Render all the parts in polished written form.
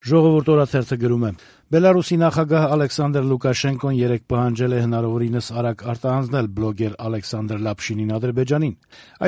Ժողովուրդ օրաթերթը գրում է. Բելարուսի նախագահ Ալեքսանդր Լուկաշենկոն երեկ պահանջել է հնարավորինս արագ արտահանձնել բլոգեր Ալեքսանդր Լապշինին Ադրբեջանին։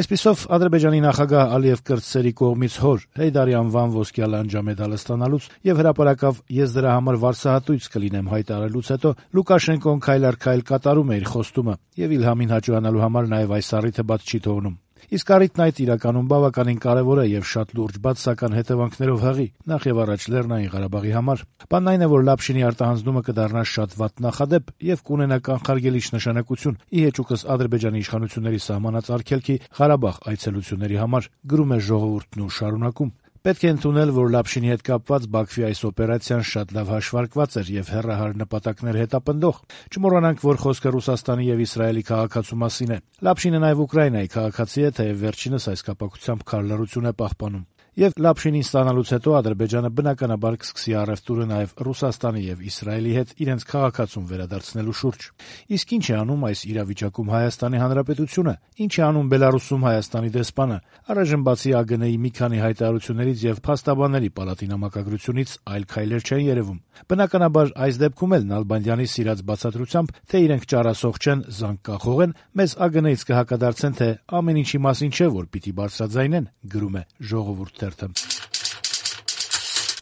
Այսպիսով Ադրբեջանի նախագահ Ալիև Կրտսերի կողմից հոր Հեյդարի անվան ոսկյա լանջամեդալը ստանալուց եւ հրապարակավ «Ես դրա համար վարձահատույց կլինեմ» հայտարարելուց հետո Լուկաշենկոն քայլ առ քայլ կատարում է իր խոստումը եւ Իլհամին հաճոյանալու համար նաեւ այս առիթը բաց չի թողնում։ Իսկ առիթն այդ իրականում բավականին կարեւոր է եւ շատ լուրջ բացասական հետեւանքներով հղի, նախ եւ առաջ Լեռնային Ղարաբաղի համար։ Բանն այն է, որ Լապշինի արտահանձնումը կդառնա շատ վատ նախադեպ եւ կունենա կանխարգելիչ նշանակություն ի հեճուկս Ադրբեջանի իշխանությունների սահմանած արգելքի Ղարաբաղ այցելությունների համար, գրում է Ժողովուրդն ու շարունակում. Պետք է ընդունել, որ Լապշինի հետ կապված Բաքվի այս օպերացիան շատ լավ հաշվարկված էր եւ հեռահար նպատակներ հետապնդող։ Չմոռանանք, որ խոսքը Ռուսաստանի եւ Իսրայելի քաղաքացու մասին է։ Լապշինը նաեւ Ուկրաինայի քաղաքացի է, թեև վերջինս այս կապակցությամբ քար լռություն է պահպանում։ Եվ Լապշինին ստանալուց հետո Ադրբեջանը բնականաբար կսկսի առևտուրը նաեւ Ռուսաստանի եւ Իսրայելի հետ իրենց քաղաքացուն վերադարձնելու շուրջ։ Իսկ ինչ է անում այս իրավիճակում Հայաստանի Հանրապետությունը, ինչ է անում Բելարուսում Հայաստանի դեսպանը։ Առայժմ բացի ԱԳՆ-ի մի քանի հայտարարություններից եւ փաստաբանների պալատի նամակագրությունից այլ քայլեր չեն երևում։ Բնականաբար այս դեպքում էլ Նալբանդյանի սիրած բացատրությամբ, թե իրենք ճարասող չեն, զանգ կանխող են, մեզ ԱԳՆ-ից կհակադարձեն, թե ամեն ինչի մասին չէ, որ պիտի բարձրաձայնեն, գրում է Ժողովուրդ թերթը։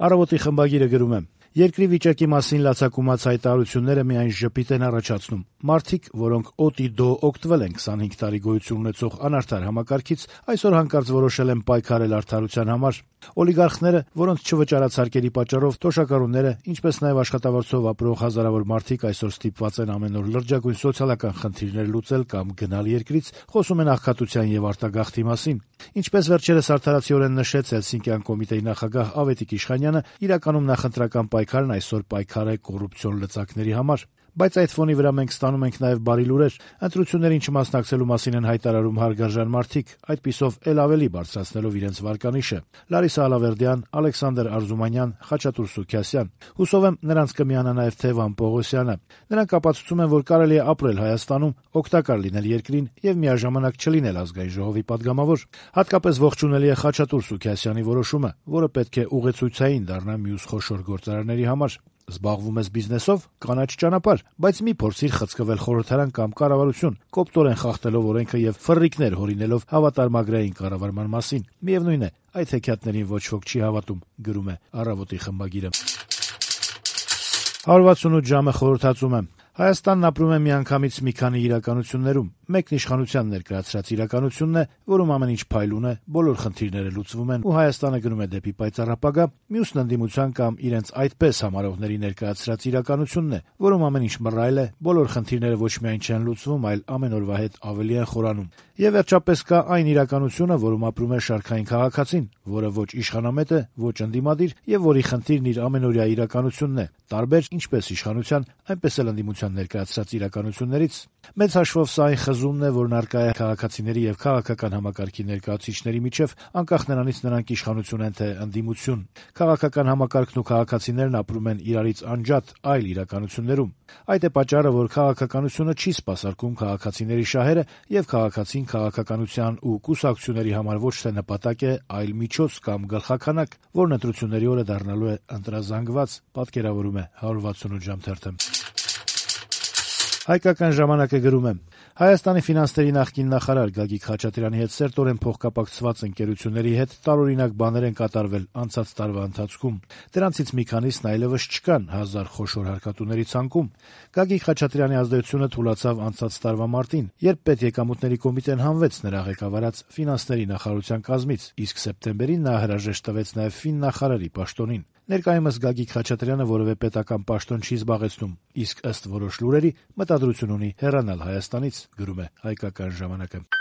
Առավոտի խմբագիրը գրում է. Երկրի վիճակի մասին լացակումած հայտարարությունները միայն ժպիտ են առաջացնում։ Մարդիկ, որոնք օտի-դո օգտվել են 25 տարի գոյություն ունեցող անարդար համակարգից, այսօր հանկարծ որոշել են պայքարել արդարության համար։ Օլիգարխները, որոնց չվճարացարկերի պատճառով թոշակառուները, ինչպես նաև աշխատավարձով ապրող հազարավոր մարդիկ այսօր ստիպված են ամեն օր լրջագույն սոցիալական խնդիրներ լուծել կամ գնալ երկրից, խոսում են աղքատության եւ արտագաղթի մասին։ Ինչպես վերջերս արդարացիորեն նշեց Հելսինկյան կոմիտեի նախագահ Ավետիք Իշխանյանը, իրականում նախընտրական պայքարն այսօր պայքար է կոռուպցիոն լծակների համար։ Բայց այդ ֆոնի վրա մենք ստանում ենք նաև բարի լուրեր։ Ընտրություններին չմասնակցելու մասին են հայտարարում հարգարժան մարդիկ, այդպիսով էլ ավելի բարձրացնելով իրենց վարկանիշը։ Լարիսա Ալավերդյան, Ալեքսանդր Արզումանյան, Խաչատուր Սուքիասյան։ Հուսով եմ նրանց կմիանա նաև Թևան Պողոսյանը։ Նրանք ապացուցում են, որ կարելի է ապրել Հայաստանում, օգտակար լինել երկրին եւ միաժամանակ չլինել ազգային ժողովի падգամավոր։ Հատկապես ողջունելի է Խաչատուր Սուքիասյանի որոշումը, որը պետք է ուղեցույցային դառնա մյուս խոշոր գործարարների համար։ Զբաղվում ես բիզնեսով, կանաչ ճանապարհ, բայց մի փորձիր խցկվել խորհրդարան կամ կառավարություն, կոպտորեն խախտելով օրենքը եւ ֆռռիկներ հորինելով հավատարմագրային կառավարման մասին։ Միևնույն է, այդ հեքիաթներին ոչ ոք չի հավատում, գրում է Առավոտի խմբագիրը։ 168 ժամը խորհրդածում է։ Հայաստանն ապրում է միանգամից մի քանի իրականություններում։ Մեկն իշխանության ներկայացրած իրականությունն է, որում ամեն ինչ փայլուն է, բոլոր խնդիրները լուծվում են ու Հայաստանը գնում է դեպի պայծառ ապագա, մյուսն ընդդիմության կամ իրենց այդպես համարողների ներկայացրած իրականությունն է, որում ամեն ինչ մռայլ է, բոլոր խնդիրները ոչ միայն չեն լուծվում, այլ ամեն օրվա հետ ավելի են խորանում։ Եվ վերջապես կա այն իրականությունը, որում ապրում է շարքային քաղաքացին, որը ոչ իշխանամետ է, ոչ ընդդիմադիր եւ որի խնդիրն իր ամենօրյա իրականությունն է, տարբեր ինչպես իշխանության, այնպես էլ ընդդիմության ներկայացրած իրականություններից։ Մեծ հաշվով սա այն խզումն է, որն առկա է քաղաքացիների եւ քաղաքական համակարգի ներկայացուցիչների միջեւ, անկախ նրանից նրանք իշխանություն են թե ընդդիմություն։ Քաղաքական համակարգն ու քաղաքացիներն ապրում են իրարից անջատ այլ իրականություններում։ Այդ է պատճառը, որ քաղաքականությունը չի սպասարկում քաղաքացիների շահերը եւ քաղաքացին քաղաքականության ու կուսակցությունների համար ոչ թե նպատակ է, այլ միջոց կամ գլխաքանակ, որն ընտրությունների օրը դառնալու է ընտրազանգված, պատկերավորում է 168 ժամ թերթը։ Հայկական ժամանակը գրում է. Հայաստանի ֆինանսների նախկին նախարար Գագիկ Խաչատրյանի հետ սերտորեն փոխկապակցված ընկերությունների հետ տարօրինակ բաներ են կատարվել անցած տարվա ընթացքում։ Դրանցից մի քանիսն այլևս չկան 1000 խոշոր հարկատուների ցանկում։ Գագիկ Խաչատրյանի ազդեցությունը թուլացավ անցած տարվա մարտին, երբ պետեկամուտների կոմիտեն հանվեց նրա ղեկավարած ֆինանսների նախարարության կազմից, իսկ սեպտեմբերին նա հրաժեշտ տվեց նաև ֆիննախարարի պաշտոնին։ Ներկայումս Գագիկ Խաչատրյանը որևէ պետական պաշտոն չի զբաղեցնում, իսկ ըստ որոշ լուրերի մտադրություն ունի հեռանալ Հայաստանից, գրում է Հայկական ժամանակը։